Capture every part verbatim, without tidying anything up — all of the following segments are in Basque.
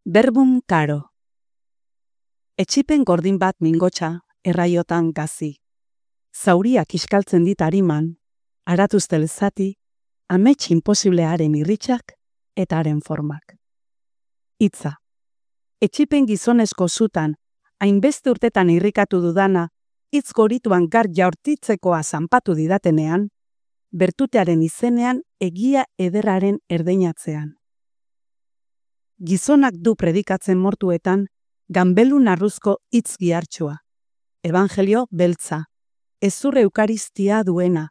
Verbum caro. Etxipen gordin bat mingotxa, erraiotan gazi. Zauriak iskaltzen dit ariman, aratuztel zati, amets imposiblearen irritxak eta haren formak. Hitza. Etxipen gizonezko zutan, hainbeste urtetan irrikatu dudana, hitz gorituan gar jaurtitzekoa zanpatu didatenean, bertutearen izenean egia ederraren erdeinatzean. Gizonak du predikatzen mortuetan, ganbelun arruzko hitz gihartxua, evangelio beltza, ezur eukaristia duena,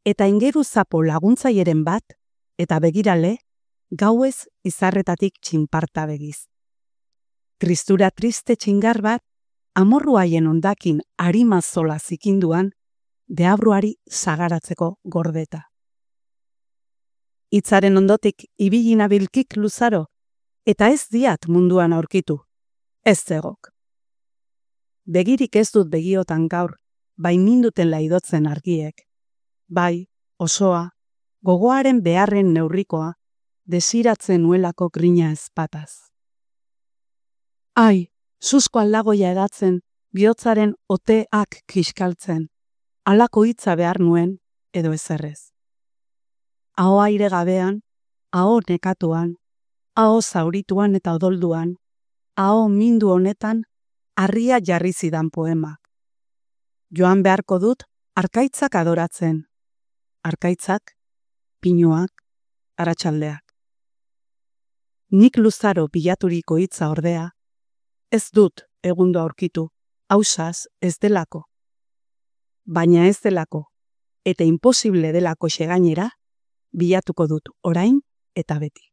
eta ingeru zapo laguntzaieren bat, eta begirale, gauez izarretatik txinparta begiz. Tristura triste txingar bat, amorru haien ondakin arimazola zikinduan, deabruari sagaratzeko gordeta. Hitzaren ondotik ibilina bilkik luzaro, eta ez diat munduan aurkitu, ez zegok. Begirik ez dut begiotan gaur, bai ninduten laidotzen argiek. Bai, osoa, gogoaren beharren neurrikoa, desiratzen nuelako grina ezpataz. Ai, susko aldagoia edatzen, bihotzaren oteak kiskaltzen, halako hitza behar nuen edo ezerrez. Aho aire gabean, aho nekatuan, aho zaurituan eta odolduan, aho mindu honetan, harria jarri zidan poemak. Joan beharko dut, arkaitzak adoratzen. Arkaitzak, pinuak, aratsaldeak. Nik luzaro bilaturiko hitza ordea, ez dut egundo aurkitu, ausaz ez delako. Baina ez delako, eta imposible delako xegainera, bilatuko dut orain eta beti.